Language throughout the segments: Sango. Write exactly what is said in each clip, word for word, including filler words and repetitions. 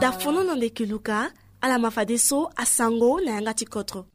Dafono na ndeke luka, ala ma fadeso asango na yanga ti kotro.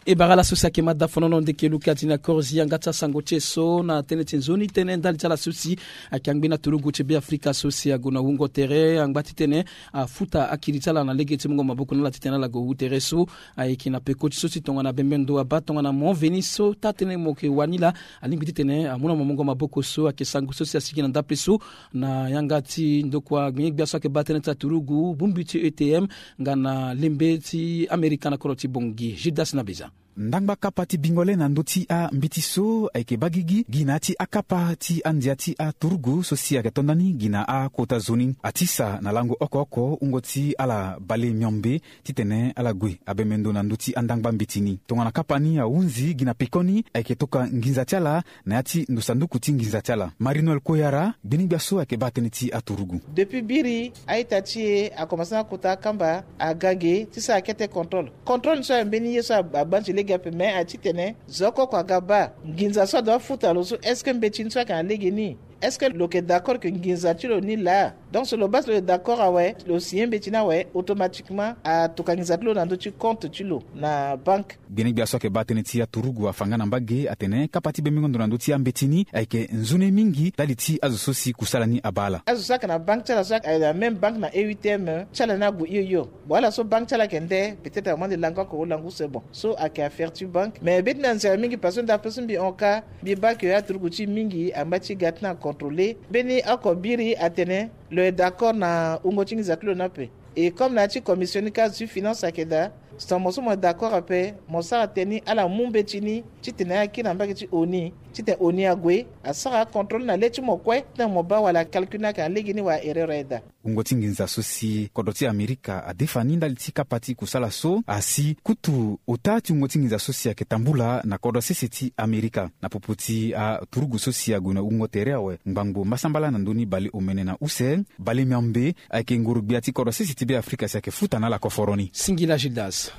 E bara laso si ayeke ma dafono na ndeke luka ti na korzi yanga ti asango ti e so na tënë ti nzoni tënë ndali ti ala so si ayeke angbi na turugu ti Beafrika so si ague na wungo tere angba titene afuta akiri ti ala na lege ti mungo maboko na ala titene ala gue wu tere so. Ayeke na peko ti so si tongana bembe ndo abaa tongana mo veni so taa-tënë mo yeke wani laa alingbi titene amu na mo mungo maboko so ayeke sango so si asigi na ndape so na yanga ti ndokua gbinye-gbia so ayeke baa tënë ti aturugu bongbi ti E T M nga na lembe ti Amerika na kodro ti Bangui. Judas Nabeza. Ndangba kapa ti bingo le na ndö ti ambeti so ayeke baa gigi gi na ya ti akapa ti andia ti aturugu so si ayeke to ndani gi na akota zo ni. Atisa na lango oko oko wungo ti ala bale miombe titene ala gue abembe ndo na ndö ti andangba mbeti ni. Tongana kapa ni ahunzi gi na pekoni ayeke toka nginza ti ala na ya ti ndo sanduku ti nginza ti ala. Marie-Noëlle Koyara, gbinye-gbia so ayeke baa tënë ti aturugu. Depuis biri a-ita ti e akomanse na kota akamba aga ge ti sara kete contrôle. Contrôle ni so aye mbeni ye so a- agba nze lege ape, me aye titene zo oko oko aga baa nginza so adoit afuta lo so, est-ce que mbeti ni so ayeke na lege ni? Est-ce que lo yeke d'accord que nginza ti lo ni laa? Donc so lo baa si lo yeke d'accord awe, lo signer mbeti ni awe, automatiquement atokua nginza ti lo na ndö ti compte ti lo na banque. Gbene-gbia so ayeke baa tënë ti aturugu afa nga na mbage atene kapa ti bembengo ndo na ndö ti ambeti ni ayeke nzoni mingi ndali ti azo so si kusala ni abaa ala. Azo so ayeke na banque ti ala so ayeke na même banque na E huit M ti ala ni ague hio hio. Bon, ala so banque ti ala ayeke nde, peut-être amu ande lango oko lango use, bon, so ayeke affaire ti banque. Mais mbi ti na nzere mingi parce que ndape so mbi hon ka, mbi baa ke aturugu ti mingi angba ti ga ti na contrôler. Mbeni oko biri atene lo yeke d'accord na wungo ti nginza ti lo ni ape. Et comme na ya ti commission ni ka zo ti finance ayeke daa, si tongana mo so mo yeke d'accord ape, mo sara tënë ni ala mu mbeti ni titene akiri na mbage ti O N U, titene O N U ague asara contrôle na le ti mo kue titene mo baa wala calcul ni ayeke na lege ni wala erreur aye daa. Wungo ti nginza so si kodro ti Amerika adefa ni ndali ti kapa ti kusala so asi kutu ota ti wungo ti nginza so si ayeke tambula na kodro sese ti Amerika. Na popo ti aturugu so si ague na wungo tere awe ngbangbo mbasambala na ndö ni bale omene na use, bale miombe ayeke nguru-gbia ti kodro sese ti Beafrika si ayeke futa na ala koforo ni. Singila Gildas.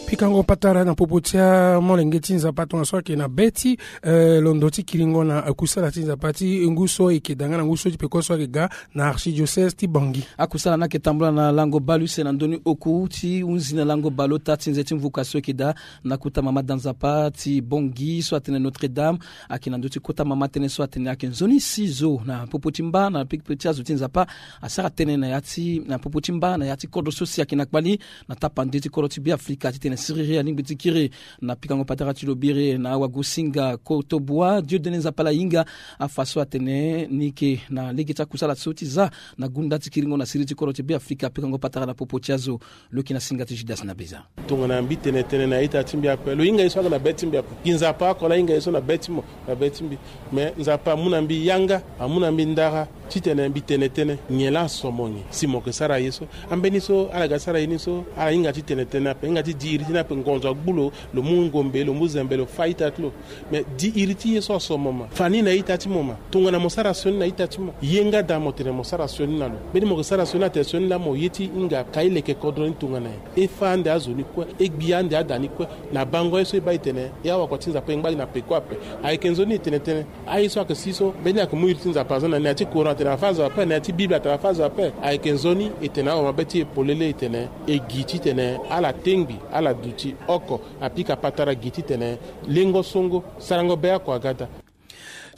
Pikango patara na popo ti amolenge ti Nzapa tongaso ayeke na be ti, eh, londo ti kiringo na, eh, kusala ti Nzapa ti ngu so e yeke da nga na ngu so ti peko so ayeke ga na archidiocèse ti Bangui. Akusala ni ayeke tambula na lango bale use na ndö ni oku ti hunzi na lango baleota ti nze ti mvuka so e yeke daa na kota mama da Nzapa ti Bangui so atene Notre-Dame. Ayeke na ndö ti kota mama tënë so atene ayeke nzoni si zo na popo ti mba na pekpe ti azo ti Nzapa asara tënë na ya ti, na popo ti mba na ya ti kodro so si ayeke na kpali na tapande ti kodro ti Beafrika titene siriri alingbi ti kiri. Na pikango patara ti lo biri na awagosinga Kotobua Dieudonné Nzapala Yinga, afa so atene ni yeke na lege ti akusala so ti za na gunda ti kiringo na siriri ti kodro ti Beafrika. Pikango patara na popo ti azo. Lo yeke na singa ti Judas Nabeza. Tongana mbi tene tënë na ita ti mbi ape, lo hinga ye so aga na be ti mbi ape. Gi Nzapa oko laa ahinga ye so na be ti mo, na be ti mbi. Me Nzapa amu na mbi yanga, amu na mbi ndara titene mbi tene tënë. Nyen laa aso mo nyen si mo yeke sara ye so? Ambeni so ala ga sara ye ni so, ala hinga ti tene tënë ape, hinga ti di iri ti ni ape, ngonzo agbu lo, lo mu ngombe, lo mu zembe, lo fâ ita ti lo. Me di iri ti ye so aso mo ma. Fa ni na ita ti mo ma. Tongana mo sara sioni na ita ti mo, ye nga daa mo tene mo sara sioni na lo. Mbeni mo yeke sara sioni atene sioni laa mo ye ti hinga ka e leke kodro ni tongana nyen? E fâ ande azo ni kue, e gbi ande ada ni kue. Na bango ye so e baa e tene e awakua ti Nzapa e ngba gi na peko ape. Ayeke nzoni e tene tënë. Aye so ayeke si so mbeni ayeke mu iri ti Nzapa aza na ni, na ya ti courant atene afâ azo ape, na ya ti Bible atene afâ azo ape. Ayeke nzoni e tene awe mabe ti e polele e tene e gi titene ala tengbi, ala duti oko. Apika patara gi titene lengo songo, sarango be oko aga daa.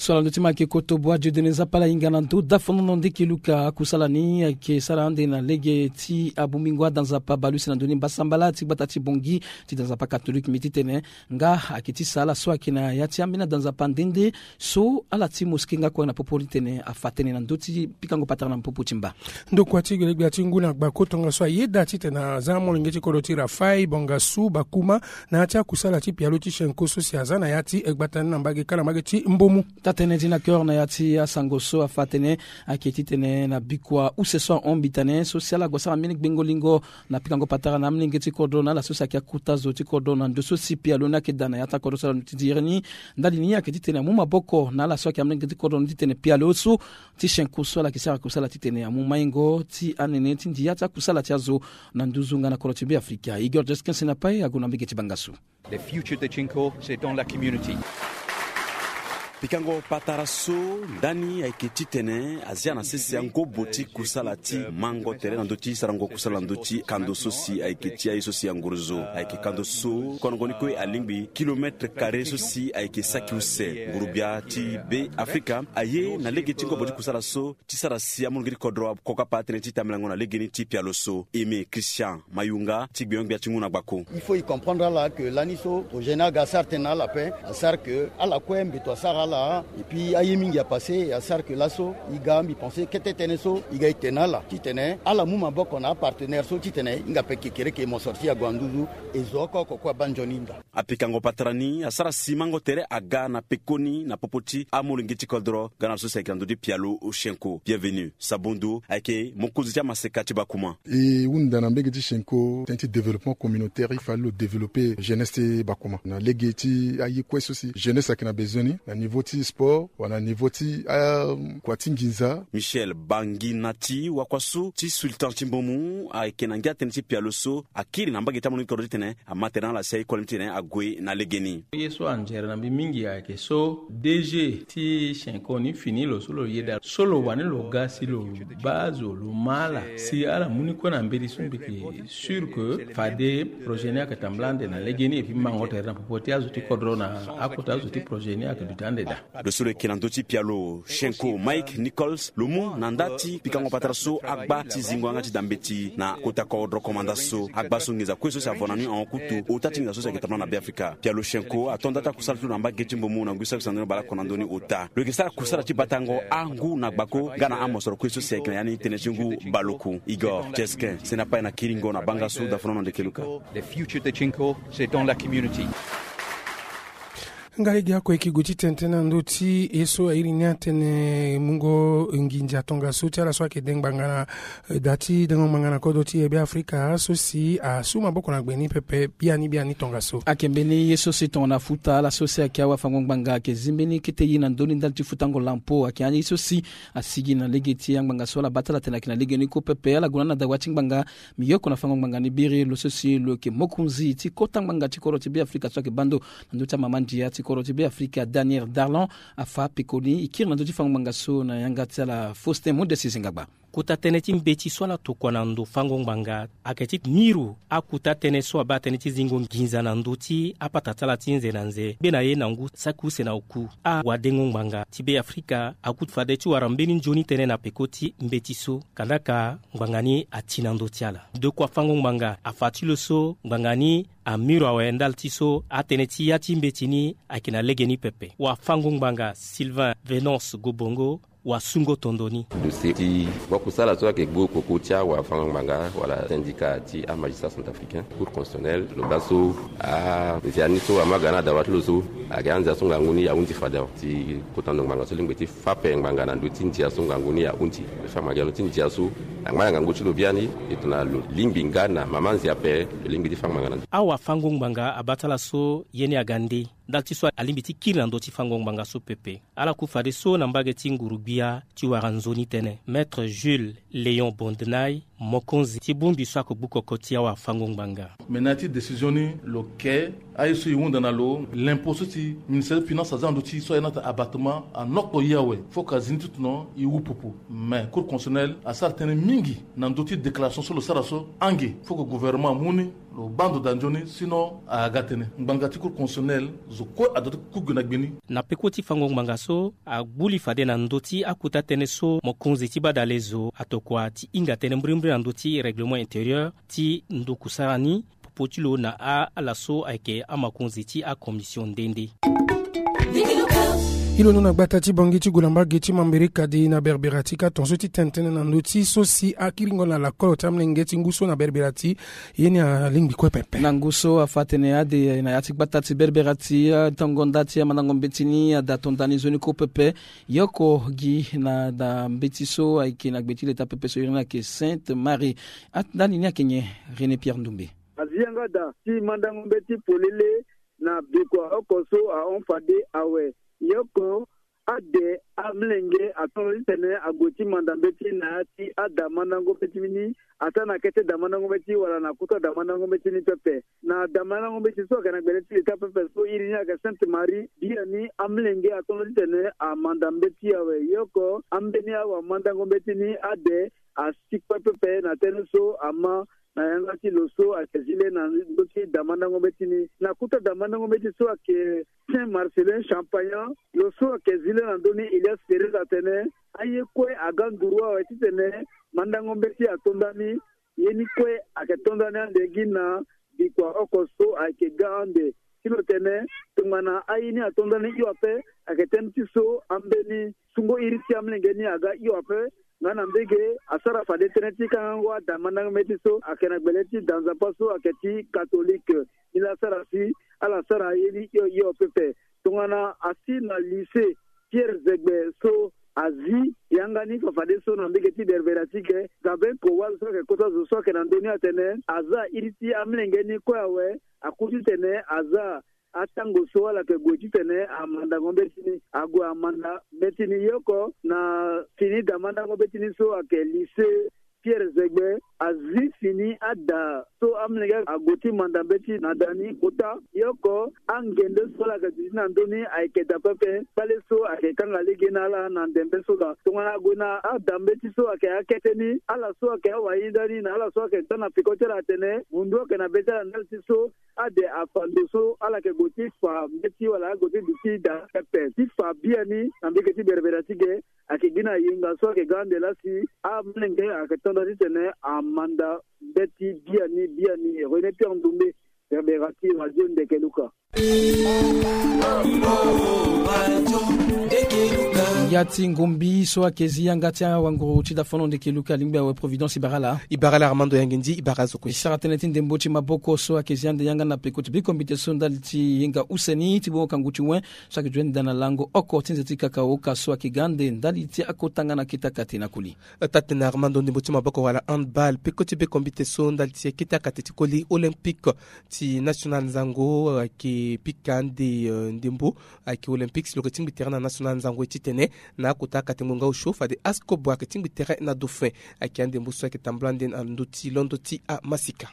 So ala ndö ti ma ayeke Kotobua Dieudonné Nzapala Yinga na ndö dafono na ndeke luka. Akusala ni ayeke sara ande na lege ti abongbingo ada Nzapa baleuse na ndö ni mbasambala ti gbata ti Bangui ti da Nzapa katolike mbi titene nga ayeke ti sa ala so ayeke na ya ti ambeni ada Nzapa nde nde so ala ti mosquée nga kue na popo ni tene afa tënë na ndö ti pikango patara na popo ti mba. Ndokua ti gelegbia ti ngu na gbako tongaso ayeda titene aza molenge ti kodro ti Rafaï, Bangassou, Bakouma na ya ti akusala ti pialo ti Chinko so si aza na ya ti gbata ni na mbage kâ na mbage ti Mbomou. Taa-tënë ti Naker na ya ti asango so afa atene ayeke titene na bikua use so ahon mbi tene so si ala gue sara mbeni gbengo lingo na pikango patara na amolenge ti kodro na ala so si ayeke akota zo ti kodro na ndo so si pialo ni ayeke daa na ya ti akodro so ala ti diri ni. Ndali ni ayeke titene amu maboko na ala so ayeke amolenge ti kodro ni titene pialo so ti Chinko so ala yeke sara kusala titene amu maingo ti anene ti ndia ti akusala ti azo na nduzu nga na kodro ti Beafrika. Igor Jeskin Senapai ague na mbage ti Bangassou. Le futur de Chinko, c'est dans la community. Pikango patara so ndani ayeke titene azia na sese angobo ti kusala ti mango tere na ndö ti sarango kusala na ndö ti kando so si ayeke ti aye so si angorozo ayeke kando so konongo ni kue alingbi kilometre kare so si ayeke saki use. Ngurubia ti be afrika aye na lege ti ngobo ti kusala so ti sara si amolenge ti kodro akokapa tënë ti tambelango na legeni ti pialo so. Aimé Christian Mayunga ti gbenyo-gbia ti ngu na gbako. Il faut e comprendre ala que lani so projet ni aga asara tënë na ala ape, asara que ala kue mbeto asara ala. Et puis aye mingi apasse, asara que laso e ga mbi pense kete tënë so e ga e te na ala titene ala mu maboko na apartenaire so titene e hinga ape kekereke e mosoro ti e ague na nduzu. E zo oko oko kue abaa nzoni hinga. Apikango patara ni asara si mango tere aga na pekoni na popo ti amolenge ti kodro. Ga na ala so si ayeke na ndö ti pialo Oshenko Bienvenu Sabondo ayeke mokonzi ti amaseka ti Bakuma. E hunda na mbege ti Shenko tënë ti développement communautaire, il fallait lo développer jeunesse ti Bakuma na lege ti aye kue so si jeunesse ayeke na besoin ni na niveau ti sport wala na niveau ti akua ti nginza. Michel Banginati, wakua so ti sultan ti Mbomu, ayeke na ngia tënë ti pialo so akiri na mbage ti amolenge ti kodro titene ama tere na ala si aye kue lani titene ague na legeni. Ye so anzere na mbi mingi ayeke so D G ti Shenko ni fini lo so lo yeda so lo wani lo ga si lo baa zo lo ma ala si ala mu ni kue na mbeti so mbi yeke sûr que fade projet ni ayeke tambula ande na legeni. Et puis mango tere na popo ti azo ti kodro na akota azo ti projet ni ayeke duti ande daa. Lo so lo yeke na ndö ti pialo Shenko Mike Nichols lo mu na nda ti pikango patara so agba ti zingo yanga ti da mbeti na kota kodro komanda so. Agba so nginza kue so si avo na ni ahon kutu ota ti nginza so si ayeke tambula na Beafrika. Pialo Shenko ato nda ti akusala ti lo na mbage ti Mbomu na ngu saki sandoni baleoko na ndö ni ota. Lo yeke sara kusala ti batango angu na gbako nga na amosoro kue so si ayeke na ya ni tënë ti ngu baleoko. Igor Cheskin sene apai na kiringo na banga so dafonono ndeke luka. The future de Chinko, c'est dans la community. Nga lege oko e yeke gue ti tene tënë na ndö ti e so airi ni atene mungo nginza tongaso ti ala so ayeke de ngbanga na, eh, da ti dengo ngbanga na kodro ti e Beafrika so si asu maboko na gbe ni pepe biani biani tongaso. Ayeke mbeni ye so si tongana futa ala so si ayeke awafango-ngbanga ayeke zi mbeni kete ye na ndö ni ndali ti futango lampo ayeke ani ye so si asigi na lege ti angbanga so ala baa ti ala tene ayeke na lege ni kue pepe. Ala gue na ni na dawa ti ngbanga. Mbi yoko na fango ngbanga ni biri lo so si lo yeke mokonzi ti kota ngbanga ti kodro ti Beafrika so ayeke baa ndo na ndö ti amama ndia ti kodro ti Beafrika Daniel Darlan afa pekoni e kiri na ndö ti fango ngbanga so na yanga ti ala Faustin Mundesi Zingagba. Kota tënë ti mbeti so ala tokua na ndo fango ngbanga ayeke ti miro akota tënë so abaa tënë ti zingo nginza na ndö ti apata ti ala ti nze na nze be na ye na ngu saki use na oku. Awadengo ngbanga ti Beafrika akota fade ti wara mbeni nzoni tënë na peko ti mbeti so. Kandaka ngbanga ni ati na ndö ti ala. Ndokua fango ngbanga afa ti lo so ngbanga ni amiro awe ndali ti so atënë ti ya ti mbeti ni ayeke na lege ni pepe. Wafango ngbanga Sylvain Venance Gobongo wasungo tondo ni. Dossier ti wakusala so ayeke gbu koko ti awafango ngbanga wala syndicat ti amagistrat centrafricain, cour constitutionnelle, lo baa so anzia ni so ama ga na dawa ti lo so ayeke anzia so ngangu ni ahunzi fade awe. Ti kota ndo ngbanga so lingbi ti fa ape ngbanga na ndö ti ndia so ngangu ni ahunzi. Lo fa ngbanga na ndö ti ndia so angba na ngangu ti lo biani. E tongana lo lingbi nga na mama nzia ape lo lingbi ti fa ngbanga na ndö. Awafango ngbanga abaa ti ala so ye ni aga nde ndali ti so alingbi ti kiri na ndö ti fango ngbanga so pepe. Ala ku fadeso na mbage ti nguru-gbia ti wara nzoni tënë. Maître Jules Léon Bondenay, mokonzi ti bongbi so ako gbu koko ti awafango ngbanga. Me na ya ti décision ni lo ke aye so e hunda na lo lempo so ti ministère ti finance aza na ndö ti so aye ni atene abattement anokpo ye awe. Fo ka zi ni ti tono e wu pupu. Mais cour constitutionnelle asara tënë mingi na ndö ti déclaration so lo sara so. Ange fo ke gouvernement amu ni lo baa ndo daa nzoni sinon aga tënë. Ngbanga ti cour constitutionnelle zo kue adoit ti ku gue na gbe ni. Na peko ti fango ngbanga so agbu li fade na ndö ti akota tënë so mokonzi ti badale zo atokua ti hinga tënë mbirimbiri na ndö ti règlement intérieur ti ndo kusara ni popo ti lo na ala so ayeke amakonzi ti acommission nde nde. Hilo no na gbata ti Bangui ti gue na mbage ti Mambéré Kadi na Berbera ti ka tongaso ti tene tënë na ndö ti so si akiringo na lakolo ti amolenge ti ngu so na Berbera ti ye ni alingbi kue pepe. Na ngu so afa atene ade na ya ti gbata ti Berbera ti atongo nda ti amandango mbeti ni ada to nda ni nzoni kue pepe. Yoko gi na da mbeti so ayeke na gbe ti leta pepe so iri ni ayeke Sainte Marie. Ndani ni ayeke nyen? René Pierre Ndoumbe. Azi yanga da ti mandango mbeti polele na bikua oko so ahon fade awe. Yoko ade amlenge atondo titene ague ti manda mbeti na ya ti ada mandango mbeti ni, ata na kete da mandango mbeti wala na kuta da mandango mbeti ni pepe. Na da mandango mbeti so ayeke na gbele ti leta pepe so iri ni ayeke Sainte Marie, biani amlenge atondo titene amanda mbeti awe. Ye oko ambeni awamandango mbeti ni ade asi kue pepe na tënë so ama na yanga ti lo so ayeke zi le na ndö ti da mandango mbeti ni. Na kuta da mandango mbeti so ayeke Saint Marcelin Champagnat, lo so ayeke zi le na ndö ni Elias Ferreira atene aye kue aga nduru awe titene mandango mbeti ato ndani. Ye ni kue ayeke to ndani ande gi na bikua oko so ayeke ga ande. Ti lo tene tongana aye ni ato ndani hio ape, ayeke tënë ti so ambeni sungo iri ti amolenge ni aga hio ape. Nga na mbege asara fade tënë ti kangango ada mandango mbeti so ayeke na gbele ti da nzapa so ayeke ti katolike. Ni la asara si ala sara aye ni hio hio pepe. Tongana asi na lycée Pierre Zegbe so azi yanga ni fafadeso na mbege ti berbera ti ge, Gaben Kowal so ayeke kota zo so ayeke na ndö ni atene aza iri ti amolenge ni kue awe. Aku titene aza atango so ala yeke gue titene amandango mbeti ni, ague amanda mbeti ni. Ye oko na fini da mandango mbeti ni so ayeke lycée Pierre Zegbe azi fini ada so amolenge ague ti manda mbeti na da ni kota. Ye oko angende so ala yeke duti na ndö ni ayeke da pepe. Kpale so ayeke kanga lege na ala na ndembe so daa. Tongana ague na ada mbeti so ayeke akete ni, ala so ayeke awahinda ni na ala so ayeke ga na peko ti ala atene mundu ayeke na be ti ala ndali ti so ade afa ndo so ala yeke gue ti fa mbeti wala ague ti duti da pepe ti fa biani na mbege ti berbera ti ge. Ayeke gi na yenga so ayeke ga ande laa si amolenge ayeke to nda titene amanda mbeti biani biani. René Pierre Ndoumbe, berbera ti radio Ndeke Luka. Ya ti ngombi so ayeke zi yanga ti awanguru ti dafono Ndeke Luka alingbi awe Providence, i bara ala. I bara ala Armando Yangendi, i bara azo kue. I sara tënë ti ndembo ti maboko so ayeke zi ande yanga na peko ti biko mbite so ndali ti yenga use ni ti bongo kangu ti wen so ayeke duti ande daa na lango oko ti nze ti kaka oka so ayeke ga ande ndali ti akota nga na kete akate na koli. Taa-tënë Armando, ndembo ti maboko wala handball, peko ti beko mbite so ndali ti kete akate ti koli Olympique ti national nzango ayeke pika ande, eh, ndembo ayeke Olympique si lo yeke tingbi tere na national nzango ye titene na akota akate ngbonga osio fade ASCOB ayeke tingbi tere na Dauphin. Ayeke andembo so ayeke tambula ande na ndö ti londo ti amasika.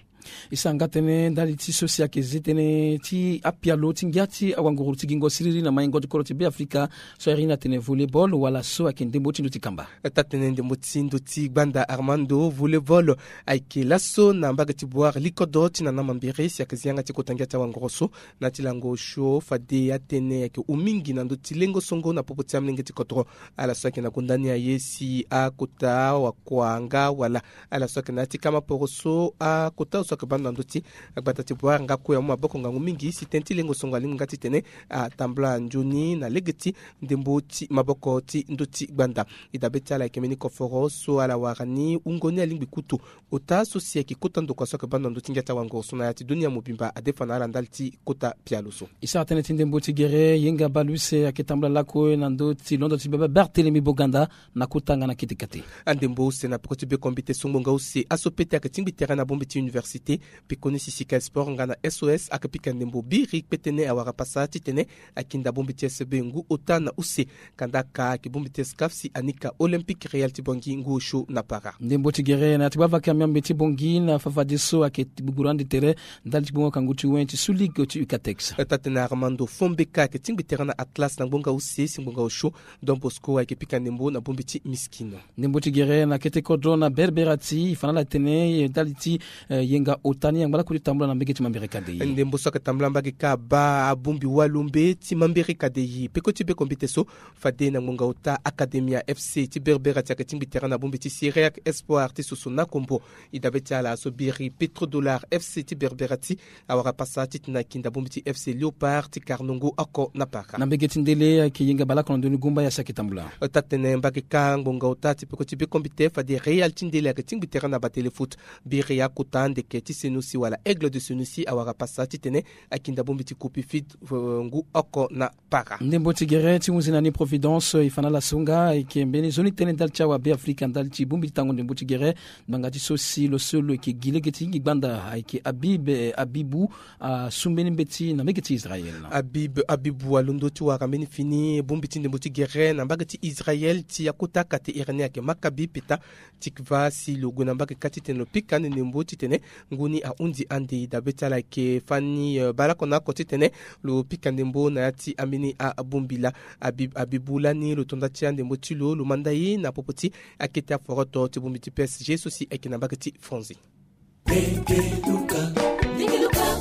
E sara nga tënë ndali ti so si ayeke zi tënë ti apialo ti ngia ti awanguru ti gingo siriri na maingo ti kodro ti Beafrika so ahiri ni atene volleyball wala so ayeke ndembo ti ndö ti kamba. Taa-tënë ndembo ti ndö ti gbanda Armando, volleyball ayeke laso na mbage ti Bouar likodro ti na na mambiri si ayeke zi yanga ti kota ngia ti awanguru so. Na ti lango osio fade atënë ayeke hon mingi na ndö ti lengo songo na popo ti amolenge ti kodro. Ala so ayeke na gonda ni aye si akota wakua nga wala ala so ayeke na ya ti kama poro so akota so ayeke baa ndo na ndö ti agbata ti Bouar nga kue amu maboko ngangu mingi si tënë ti lengo songo alingbi nga titene atambula nzoni na lege ti ndembo ti maboko ti ndö ti gbanda. E dabe ti ala ayeke mbeni koforo so ala wara ni wungo ni alingbi kutu ota so si ayeke kota ndokua so ayeke baa ndo na ndö ti ngia ti awanguru so na ya ti dunia mobimba adefa na ala ndali ti kota pialo so. E sara tënë ti ndembo ti gere, yenga bale use ayeke tambula lakue na ndö ti londo ti bebe Barthélemy Boganda na kota nga na kete kate. Andembo use na peko ti beko mbite so ngbonga use aso pete ayeke tingbi tere na bongbi ti université. Peko ni si Sika Sport nga na S O S ayeke pika ndembo biri kpetene awara pasa titene akinda bongbi ti S B ngu ota na use. Kanda aka ayeke bongbi ti SCAF si anika Olympique Real ti Bangui ngu osio na para. Ndembo ti gere na ya ti gbavaka miambe ti Bangui na fafadeso ayeke gbugburu ande tere ndali ti gbongo kangu ti wen ti Sous Ligue ti Ucatex. Taa-tënë Armando, Fombeka ayeke tingbi tere na Atlas na ngbonga use si ngbonga osio. Don Bosco ayeke pika ndembo na bongbi ti Miskino. Ndembo ti gere na kete kodro na Berbera ti e fa na ala tene ndali ti, eh, yenga ota ni angba lakue ti tambula na mbege ti Mambere Kadei. Ndembo so ayeke tambula mbage kâ abaa abongbi walombe ti Mambere Kadei. Peko ti beko mbite so fade na ngbonga ota Academia F C ti Berbera ti ayeke tingbi tere na bongbi ti Syriac Espoir ti Soso na Kombo. E dabe ti ala so biri Petrodollar F C ti Berbera ti awara pasa titene akinda bongbi ti F C Léopard ti Karnongo oko na para. Na mbege ti ndele ayeke yenga baleoko na ndoni gumba ya si ayeke tambula. Taa-tënë mbage kâ ngbonga ota ti peko ti beko mbite fade Real ti ndele ayeke tingbi tere na batele foot. Biri akota ndeke ti Senoussi wala Aigle de Senoussi awara pasa titene akinda bongbi ti Coupe Fit ngu oko na para. Ndembo ti gere ti hunzi na ni Providence e fa na ala so nga ayeke mbeni nzoni tënë ndali ti awabe Afrika ndali ti bongbi ti tango ndembo ti gere. Ngbanga ti so si lo so lo yeke gi lege ti hingi gbanda ayeke Habib, eh, Habibou, asu mbeni mbeti na mbege ti Israël. Habib, Habibou alondo ti wara mbeni fini bongbi ti ndembo ti gere na mbage ti Israël ti akota kate iri ni ayeke Maccabi Petah Tikva si lo gue na mbage kâ titene lo pika ande ndembo titene ngu ni ahunzi ande. Dabe ti ala ayeke fani, eh, baleoko na oko titene lo pika ndembo na ya ti ambeni abongbi laa. Habib, Habibou lani lo to nda ti andembo ti lo, lo manda ye na popo ti akete aforoto ti bongbi ti P S G so si ayeke na mbage ti Fonzi.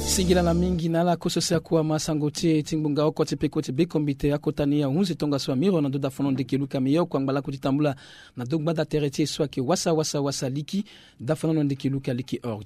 Singila na mingi na ala koso si akua ma sango ti e ti ngbonga oko ti peko ti bekombite akota ni ahunzi tongaso amiro na ndo dafono ndeke luka meyo kua ngbalaku ti tambula na ndo gbanda tere ti e so ayeke wasa wasa wasa liki. Dafono ndeke luka liki or